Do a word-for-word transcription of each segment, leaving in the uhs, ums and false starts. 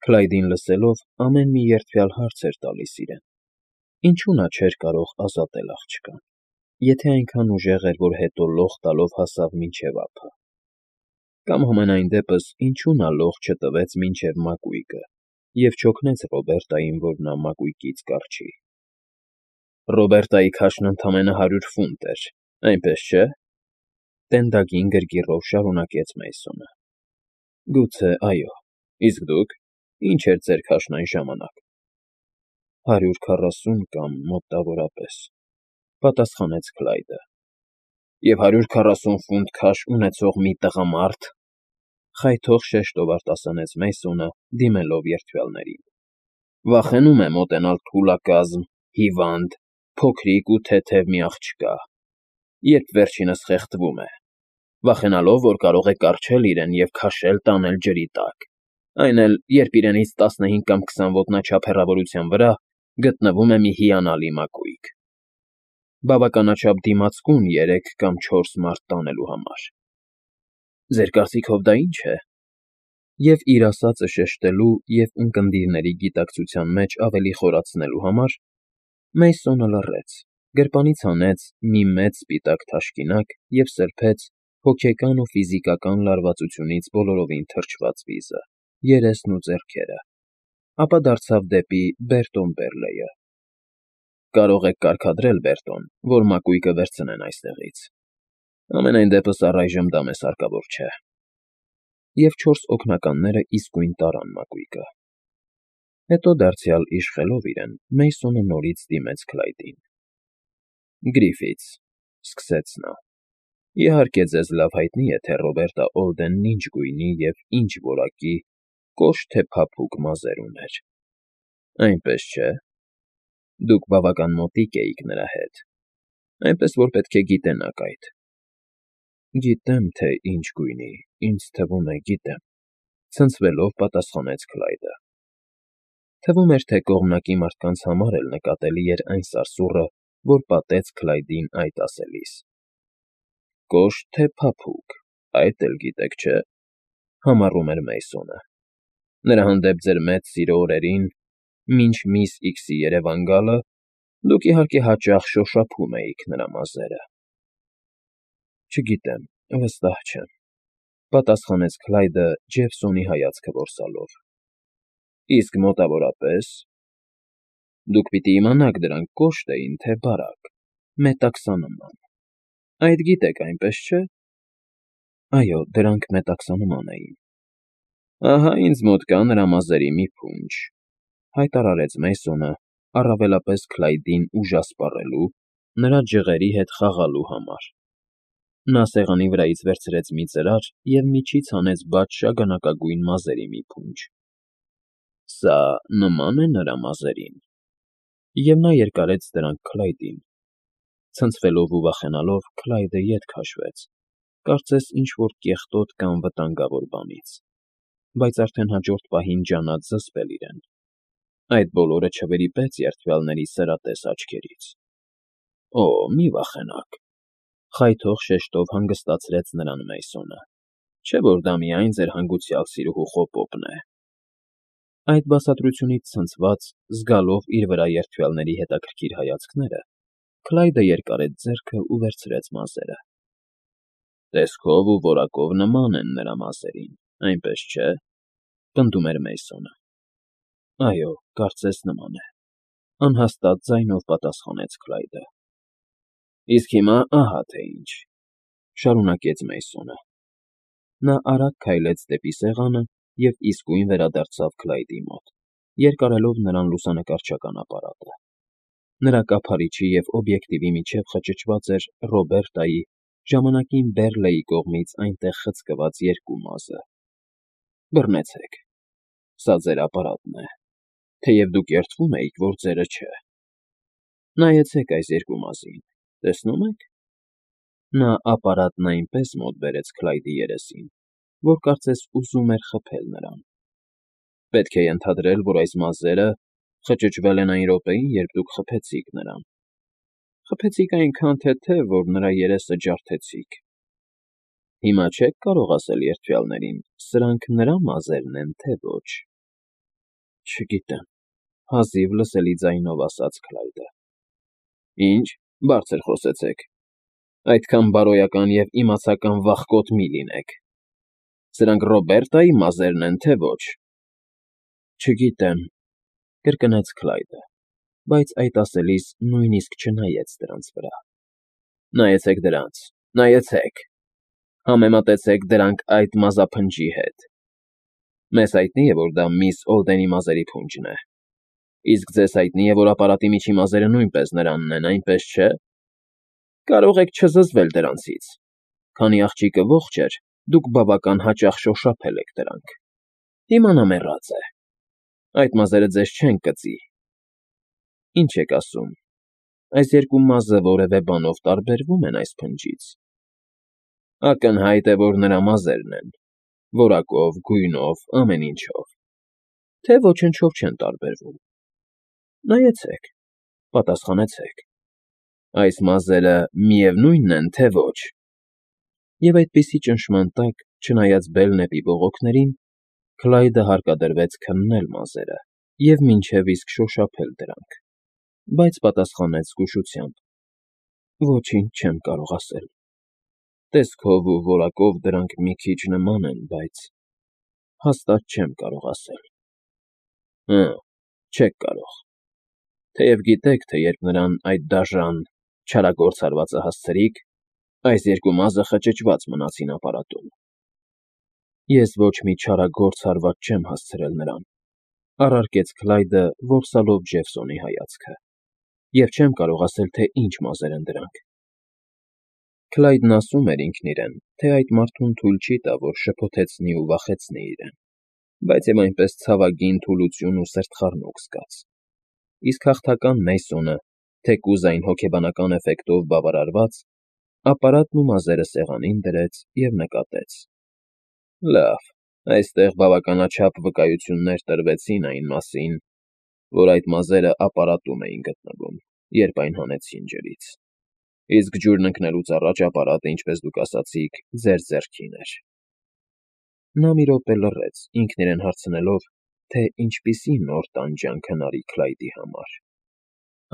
Քլայդին լսելով, ամեն մի երդվյալ հարց էր տալիս իրեն. ինչու նա չէր կարող ազատել աղջկան, եթե այնքան ուժեղ էր, որ հետո լող տալով հասավ մինչև ափը, կամ համենայն դեպս ինչու նա լող չտվեց մինչև մակույկը և չօգնեց Ռոբերտային, որ նա մակույկից կառչի։ Ռոբերտայի քաշն ընդամենը հարյուր ֆունտ էր, այնպես չէ՞, տենդագին գրգիռով շարունակեց Մեյսոնը։ Գուցե, այո, իսկ դուք, ինչ էր ձեր քաշն այն ժամանակ։ Հարյուր քառասուն կամ մոտավորապես, պատասխանեց Քլայդը։ Եվ հարյուր քառասուն ֆունտ քաշ ունեցող մի տղամարդ, խայթող շեշտով արտասանեց Մեյսոնը, դիմելով երդվյալներին, վախենում է մոտենալ թուլակազմ, հիվանդ, փոքրիկ ու թեթև մի աղջկա, երբ վերջինս խեղդվում է, վախենալով, որ կարող է կառչել իրեն և քաշել տանել ջրի տակ, այն էլ, երբ իրենից տասնհինգ կամ քսան ոտնաչափ հեռավորության վրա գտնվում է մի հիանալի մակույկ, բավականաչափ դիմացկուն երեք կամ չորս մարդ տանելու համար։ Ձեր կարծիքով դա ի՞նչ է։ Եվ իր ասածը շեշտելու և ունկնդիրների գիտակցության մեջ ավելի խորացնելու համար Մեյսոնը լռեց, գրպանից հանեց մի մեծ սպիտակ թաշկինակ և սրբեց հոգեկան ու ֆիզիկական լարվածությունից բոլորովին թրջված վիզը, երեսն ու ձեռքերը, ապա դարձավ դեպի Բերտոն Բերլեյը։ Կարող եք կարգադրել, Բերտոն, որ մակույկը վերցնեն այստեղից։ Համենայն դեպս առայժմ դա մեզ հարկավոր չէ։ Եվ չորս օգնականները իսկույն տարան մակույկը։ Հետո դարձյալ իշխելով իրեն, Մեյսոնը նորից դիմեց Քլայդին։ Գրիֆիթս, սկսեց նա, իհարկե ձեզ լավ հայտնի է, թե Ռոբերտա Օլդենն ինչ գույնի և ինչ որակի կոշտ թե փափուկ մազեր ուներ։ Այնպես չէ։ Դուք բավական մոտիկ էիք նրա հետ, այնպես որ պետք է գիտենաք այդ։ Գիտեմ, թե ինչ գույնի, ինձ թվում է, գիտեմ, ցնցվելով պատասխանեց Քլայդը։ Թվում էր, թե կողմնակի մարդկանց համար էլ նկատելի էր այն սարսուռը, որ պատեց Քլայդին այդ ասելիս։ Կոշտ թե փափուկ, այդ էլ գիտեք, չէ՞, համառում էր Մեյսոնը։ Նրա հանդեպ ձեր մեծ սիրո օրերին, մինչ միս Իքսի երևան գալը, դուք իհարկե հաճախ շոշափում էիք նրա մազերը։ Չգիտեմ, վստահ չեմ, պատասխանեց Քլայդը Ջեֆսոնի հայացքը որսալով։ Իսկ մոտավորապես։ Դուք պիտի իմանաք դրանք կոշտ էին, թե բարակ, մետաքսանման։ Այդ գիտեք, այնպես չէ։ Այո, դրանք մետաքսանման էին։ Ահա ինձ մոտ կա նրա մազերի մի փունջ, հայտարարեց Մեյսոնը, առավելապես Քլայդին ուժասպառելու, նրա ջղերի հետ խաղալու համար։ Նա սեղանի վրայից վերցրեց մի ծրար և միջից հանեց բաց շագանակագույն մազերի մի փունջ։ Սա նման է նրա մազերին։ Եվ նա երկարեց դրանք Քլայդին։ Ցնցվելով ու վախենալով Քլայդը ետ քաշվեց, կարծես ինչ֊որ կեղտոտ կամ վտանգավոր բանից, բայց արդեն հաջորդ պահին ջանաց զսպել իրեն։ Այդ բոլորը չվրիպեց երդվյալների սրատես աչքերից։ Օ, մի վախենաք, խայթող շեշտով հանգստացրեց նրան Մեյսոնը, չէ՞ որ դա միայն ձեր հանգուցյալ սիրուհու խոպոպն է։ Այդ բացատրությունից ցնցված, զգալով իր վրա երդվյալների հետաքրքիր հայացքները, Քլայդը երկարեց ձեռքը ու վերցրեց մազերը։ Տեսքով ու որակով նման են նրա մազերին, այնպես չէ՞, պնդում էր Մեյսոնը։ Այո, կարծես նման է, անհաստատ ձայնով պատասխանեց Քլայդը։ Իսկ հիմա ահա թե ինչ, շարունակեց Մեյսոնը։ Նա արագ քայլեց դեպի սեղանը և իսկույն վերադարձավ Քլայդի մոտ, երկարելով նրան լուսանկարչական ապարատը։ Նրա կափարիչի և օբյեկտիվի միջև խճճված էր Ռոբերտայի ժամանակին Բերլեյի կողմից այնտեղ խցկված երկու մազը։ Բռնեցեք, սա ձեր ապարատն է, թեև դուք երդվում էիք, որ ձերը չէ։ Նայեցեք այս երկու մազին, տեսնո՞ւմ եք։ Նա ապարատն այնպես մոտ բերեց Քլայդի երեսին, որ կարծես ուզում էր խփել նրան։ Պետք է ենթադրել, որ այս մազերը խճճվել են այն րոպեին, երբ դուք խփեցիք նրան։ Խփեցիք այնքան թեթև, որ նրա երեսը ջարդեցիք։ Հիմա չե՞ք կարող ասել երդվյալներին՝ սրանք նրա մազերն են, թե ոչ։ Չգիտեմ,֊ հազիվ լսելի ձայնով ասաց Քլայդը։ Ինչ, բարձր խոսեցեք, այդքան բարոյական և իմացական վախկոտ մի լինեք… Սրանք Ռոբերտայի մազե՞րն են, թե ոչ… Չգիտեմ,֊ կրկնեց Քլայդը, բայց այդ ասելիս նույնիսկ չնայեց դրանց վրա։ Նայեցեք դրանց, նայեցեք… Համեմատեցեք դրանք այդ մազափնջի հետ… Մեզ հայտնի է, որ դա միս Օլդենի մազերի փունջն է, իսկ ձեզ հայտնի է, որ ապարատի միջի մազերը նույնպես նրանն են, այնպես չէ՞… Կարող եք չզզվել դրանցից… Քանի աղջիկը ողջ էր, դուք բավական հաճախ շոշափել եք դրանք… Հիմա նա մեռած է… Այդ մազերը ձեզ չեն կծի… Ինչ եք ասում, այս երկու մազը որևէ բանով տարբերվո՞ւմ են այս փնջից… Ակնհայտ է, որ նրա մազերն են… Որակով, գույնով, ամեն ինչով… Թե ոչնչով չեն տարբերվում… Նայեցեք, պատասխանեցեք… Այս մազերը միևնույն են, թե ոչ… Եվ այդպիսի ճնշման տակ, չնայած բելն էպի բողոքներին, Քլայդը հարկադրվեց քննել մազերը և մինչև իսկ շոշափել դրանք, բայց պատասխանեց զգուշությամբ. Ոչինչ չեմ կարող ասել… Տեսքով ու որակով դրանք մի քիչ նման են, բայց… հաստատ չեմ կարող ասել… Հը, չեք կարող… Թեև գիտեք, թե երբ նրան այդ դաժան, չարագործ հարվածը հասցրիք, այս երկու մազը խճճված մնացին ապարատում… Ես ոչ մի չարագործ հարված չեմ հասցրել նրան, առարկեց Քլայդը, որսալով Ջեֆսոնի հայացքը, և չեմ կարող ասել, թե ինչ մազեր են դրանք… Քլայդն ասում էր ինքն իրեն, թե այդ մարդուն թույլ չի տա, որ շփոթեցնի ու վախեցնի իրեն, բայց և այնպես ցավագին թուլություն ու սրտխառնոք զգաց… Իսկ հաղթական Մեյսոնը, թեկուզ այն հոգեբանական էֆեկտով բավարարված, ապարատն ու մազերը սեղանին դրեց և նկատեց. Լավ, այստեղ բավականաչափ վկայություններ տրվեցին այն մասին, որ այդ մազերը ապարատում էին գտնվում, երբ այն հանեցին ջրից, իսկ ջուրն ընկնելուց առաջ ապարատը, ինչպես դուք ասացիք, ձեր ձեռքին էր… Նա մի րոպե լռեց, ինքն իրեն հարցնելով, թե ինչպիսի նոր տանջանք հնարի Քլայդի համար,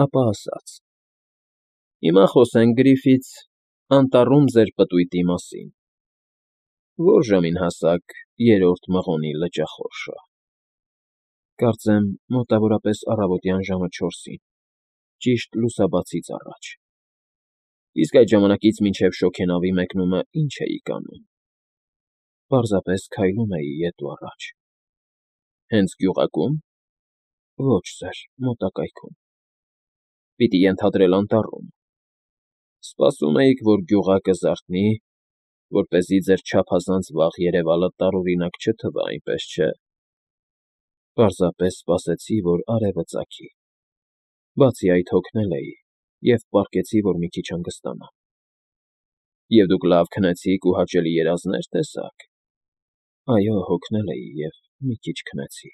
ապա ասաց. Հիմա խոսենք, Գրիֆիթս, անտառում ձեր պտույտի մասին… Ո՞ր ժամին հասաք երրորդ մղոնի լճախորշը… Կարծեմ մոտավորապես առավոտյան ժամը չորսին, ճիշտ լուսաբացից առաջ… Իսկ այդ ժամանակից մինչև շոգենավի մեկնումը ի՞նչ էիք անում… Պարզապես քայլում էի ետ ու առաջ… Հենց գյուղակո՞ւմ… Ոչ, սըր, մոտակայքում… Պիտի ենթադրել անտառում… Սպասում էիք, որ գյուղակը զարթնի, որպեսզի ձեր չափազանց վաղ երևալը տարօրինակ չթվա, այնպես չէ… Պարզապես սպասեցի, որ արևը ծագի… Բացի այդ հոգնել էի և պառկեցի, որ մի քիչ հանգստանամ… Եվ դուք լավ քնեցիք ու հաճելի երազնե՞ր տեսաք… Այո, հոգնել էի և մի քիչ քնեցի…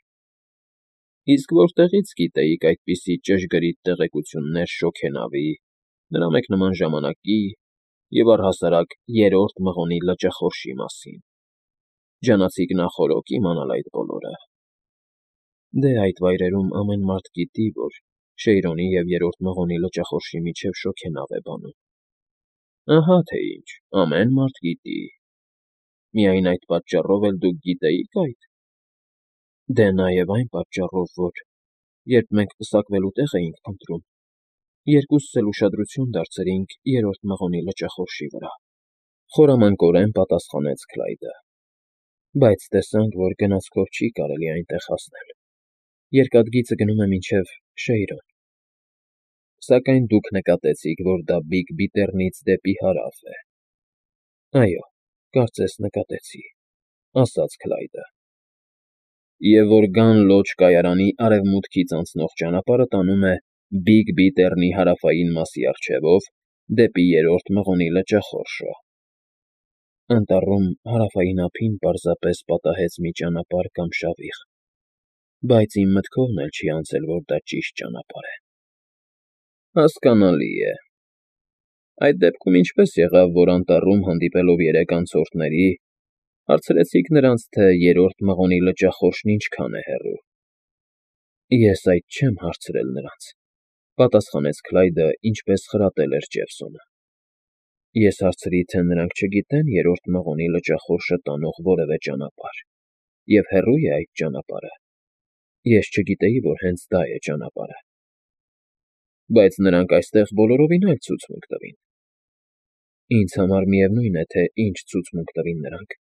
Իսկ որտեղի՞ց գիտեիք այդպիսի ճշգրիտ տեղեկություններ շոգենավի, նրա մեկ նման ժամանակի և առհասարակ երրորդ մղոնի լճախորշի մասին… Ջանացիք նախօրոք իմանալ այդ բոլորը… Դե, այդ վայրերում ամեն մարդ գիտի, որ Շեյրոնի և երրորդ մղոնի լճախորշի միջև շոգենավ է բանում… Ահա թե ինչ, ամեն մարդ գիտի… Միայն այդ պատճառով էլ դուք գիտեիք այդ… Դե նաև այն պատճառով, որ, երբ մենք պսակվելու տեղ էինք փնտրում, երկուսս էլ ուշադրություն դարձրինք երրորդ մղոնի լճախորշի վրա… Խորամանկորեն պատասխանեց Քլայդը… Բայց տեսանք, որ գնացքով չի կարելի այնտեղ հասնել… Երկաթգիծը գնում է մինչև Շեյրոն… Սակայն դուք նկատեցիք, որ դա Բիգ Բիթեռնից դեպի հարավ է… Այո, կարծես նկատեցի,֊ ասաց Քլայդը… Եվ որ Գան Լոջ կայարանի արևմուտքից անցնող ճանապարհը տանում է Բիգ Բիթեռնի հարավային մասի առջևով դեպի երրորդ մղոնի լճախորշը… Անտառում հարավային ափին պարզապես պատահեց մի ճանապարհ կամ շավիղ, բայց իմ մտքովն էլ չի անցել, որ դա ճիշտ ճանապարհ է… Հասկանալի է… Այդ դեպքում ինչպե՞ս եղավ, որ անտառում հանդիպելով երեք անցորդների, հարցրեցիք նրանց, թե երրորդ մղոնի լճախորշն ինչքան է հեռու… Ես այդ չեմ հարցրել նրանց,֊ պատասխանեց Քլայդը, ինչպես խրատել էր Ջեֆսոնը։ Ես հարցրի, թե նրանք չգիտեն երրորդ մղոնի լճախորշը տանող որևէ ճանապարհ, և հեռո՞ւ է այդ ճանապարհը։ Ես չգիտեի, որ հենց դա է ճանապարհը։ Բայց նրանք այստեղ բոլորովին այլ ցուցմունք տվին։ Ինձ համար միևնույն է, թե ինչ ցուցմունք տվին նրանք,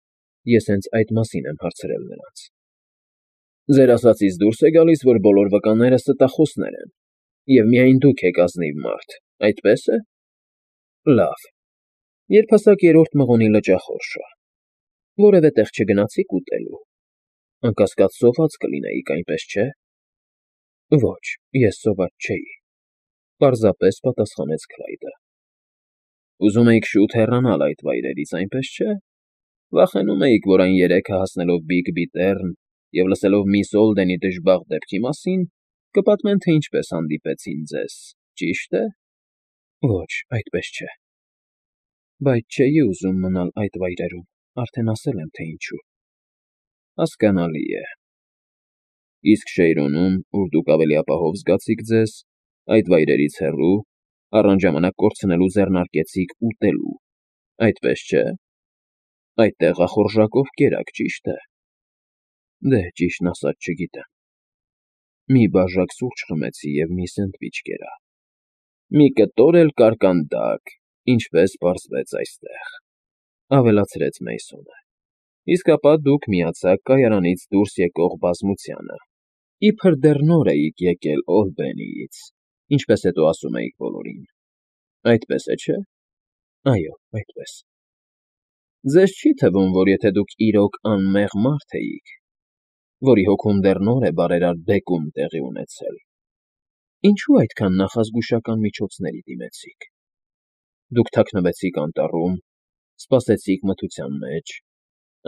ես հենց այդ մասին եմ հարցրել նրանց։ Ձեր ասածից դուրս է գալիս, որ բոլոր վկաները ստախոսներ են, և միայն դուք եք ազնիվ մարդ, այդպե՞ս է։ Լավ, երբ հասաք երրորդ մղոնի լճախորշը, որևէ տեղ չգնացի՞ք ուտելու։ Անկասկած սոված կլինեիք, այնպես չէ։ Ոչ, ես սոված չէի,֊ պարզապես պատասխանեց Քլայդը։ Ուզում էիք շուտ հեռանալ այդ վայրերից, այնպես չէ։ Վախենում էիք, որ այն երեքը հասնելով Բիգբի տերն և լսելով միս Օլդենի դժբախտ դեպքի մասին, կպատմեն, թե ինչպես հանդիպեցին ձեզ, ճի՞շտ է։ Ոչ, այդպես չէ։ Բայց չէի ուզում մնալ այդ վայրերում, արդեն ասել եմ, թե ինչու։ Հասկանալի է։ Իսկ Շեյրոնում, ուր դուք ավելի ապահով զգացիք ձեզ, այդ վայրերից հեռու, առանց ժամանակ կորցնելու ձեռնարկեցիք ուտելու, այդպես չէ։ Այդ տեղախորժակով կերաք, ճի՞շտ է։ Դե, ճիշտն ասած, չգիտեմ։ Մի բաժակ սուրճ խմեցի և մի սենդվիչ կերա։ Մի կտոր էլ կարկանդակ, ինչպես պարզվեց այստեղ,֊ ավելացրեց Մեյսոնը։ Իսկ ապա դուք միացաք կայարանից դուրս եկող բազմությանը, իբր դեռ նոր էիք եկել Օլբենիից, ինչպես հետո ասում էիք բոլորին։ Այդպես է, չէ՞։ Այո, այդպես։ Ձեզ չի թվում, որ եթե դուք իրոք անմեղ մարդ էիք, որի հոգում դեռ նոր է բարերար բեկում տեղի ունեցել, ինչու այդքան նախազգուշական միջոցների դիմեցիք։ Դուք թաքնվեցիք անտառում, սպասեցիք մթության մեջ,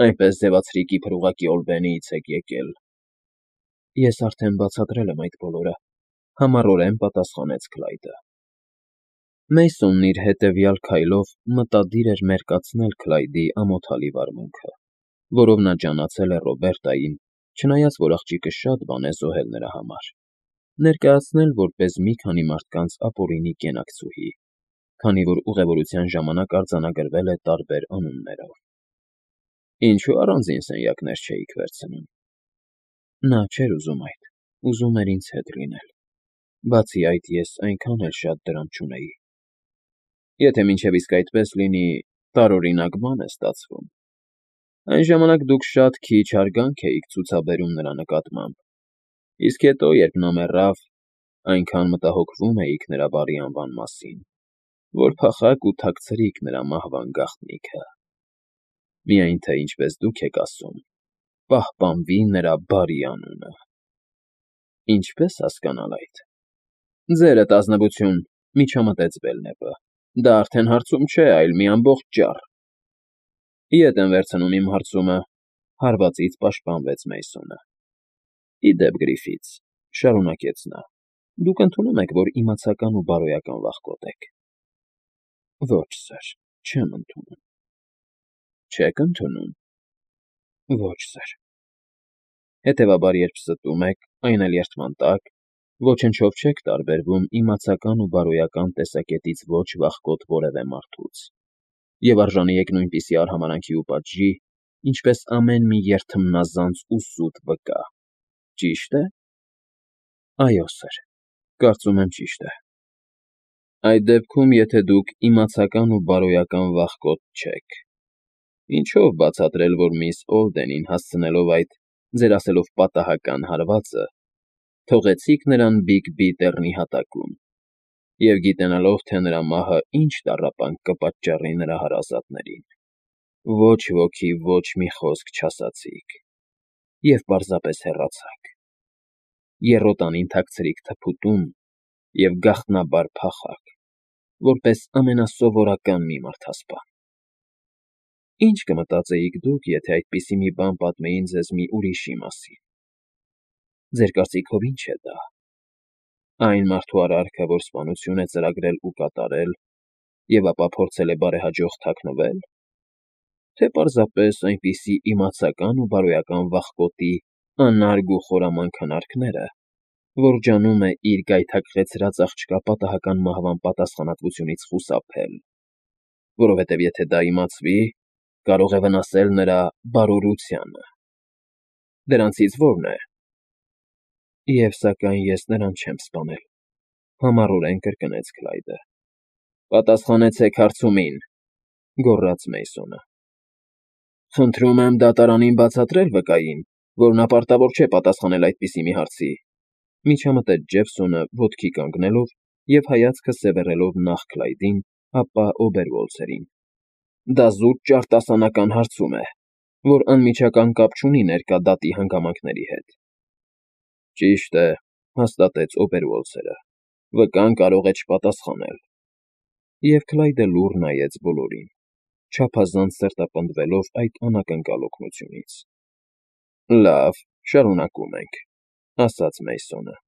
այնպես ձևացրիք, իբր ուղղակի Օլբենիից եք եկել։ Ես արդեն բացատրել եմ այդ բոլորը,֊ համառորեն պատասխանեց Քլայդը։ Մեյսոնն իր հետևյալ քայլով մտադիր էր մերկացնել Քլայդի ամոթալի վարմունքը, որով նա ջանացել է Ռոբերտային, չնայած որ աղջիկը շատ բան է զոհել նրա համար, ներկայացնել որպես մի քանի մարդկանց ապօրինի կենակցուհի, քանի որ ուղևորության ժամանակ արձանագրվել է տարբեր անուններով։ Ինչու առանձին սենյակներ չէիք վերցնում։ Նա չէր ուզում այդ, ուզում էր ինձ հետ լինել։ Բացի այդ, ես այնքան էլ շատ դրամ չունեի։ Եթե մինչև իսկ այդպես լինի, տարօրինակ բան է ստացվում։ Այն ժամանակ դուք շատ քիչ հարգանք էիք ցուցաբերում նրա նկատմամբ, իսկ հետո, երբ նա մեռավ, այնքան մտահոգվում էիք նրա բարի անվան մասին, որ փախաք ու թաքցրիք նրա մահվան գաղտնիքը։ Միայն թե, ինչպես դուք եք ասում, պահպանվի նրա բարի անունը։ Ինչպե՞ս հասկանալ այդ։ Ձերդ ազնվություն,֊ միջամտեց Բելնեպը, դա արդեն հարցում չէ, այլ մի ամբողջ ճառ։ Ետ եմ վերցնում իմ հարցումը,֊ հարվածից պաշտպանվեց Մեյսոնը։ Ի դեպ, Գրիֆիթս,֊ շարունակեց նա,֊ դուք ընդունում եք, որ իմացական ու բարոյական վախկոտ եք։ Ոչ, սըր, չեմ ընդունում։ Չեք ընդունում։ Ոչ, սըր։ Հետևաբար, երբ ստում եք, այն էլ երդման տակ, ոչնչով չեք տարբերվում իմացական ու բարոյական տեսակետից ոչ վախկոտ որևէ մարդուց, և արժանի եք նույնպիսի արհամարհանքի ու պատժի, ինչպես ամեն մի երդմնազանց ու սուտ վկա, ճի՞շտ է։ Այո, սըր, կարծում եմ ճիշտ է։ Այդ դեպքում, եթե դուք իմացական ու բարոյական վախկոտ չեք, ինչո՞վ բացատրել, որ միս Օլդենին հասցնելով այդ, ձեր ասելով պատահական հարվածը, թողեցիք նրան Բիգբի տեռնի հատակում, և գիտենալով, թե նրա մահը ինչ տառապանք կպատճառի նրա հարազատներին, ոչ ոքի ոչ մի խոսք չասացիք, և պարզապես հեռացաք, եռոտանին թաքցրիք թփուտում և գաղտնաբար փախաք, որպես ամենասովորական մի մարդասպան։ Ինչ կմտածեիք դուք, եթե այդպիսի մի բան պատմեին ձեզ մի ուրիշի մասին։ Ձեր կարծիքով ի՞նչ է դա։ Այն մարդու արարքը, որ սպանություն է ծրագրել ու կատարել, և ապա փորձել է բարեհաջող թաքնվել, թե պարզապես այնպիսի իմացական ու բարոյական վախկոտի անարգ ու խորամանկ հնարքները, որ ջանում է իր գայթակղեցրած աղջկա պատահական մահվան պատասխանատվությունից խուսափել, որովհետև եթե դա իմացվի, կարող է վնասել նրա բարօրությանը։ Դրանցից ո՞րն է։ Եվ սակայն ես նրան չեմ սպանել,֊ համառորեն կրկնեց Քլայդը։ Պատասխանեցեք հարցումին,֊ գոռաց Մեյսոնը։ Խնդրում եմ դատարանին բացատրել վկային, որ նա պարտավոր չէ պատասխանել այդպիսի մի հարցի,֊ միջամտեց Ջեֆսոնը ոտքի կանգնելով և հայացքը սևեռելով նախ Քլայդին, ապա Օբերվոլցերին։ Դա զուտ ճարտասանական հարցում է, որ անմիջական կապ չունի ներկա դատի հանգամանքների հետ։ Ճիշտ է,֊ հաստատեց Օբերվոլցերը,֊ վկան կարող է չպատասխանել։ Եվ Քլայդը լուռ նայեց բոլորին, չափազանց սրտապնդվելով այդ անակնկալ օգնությունից։ Լավ, շարունակում ենք,֊ ասաց Մեյսոնը։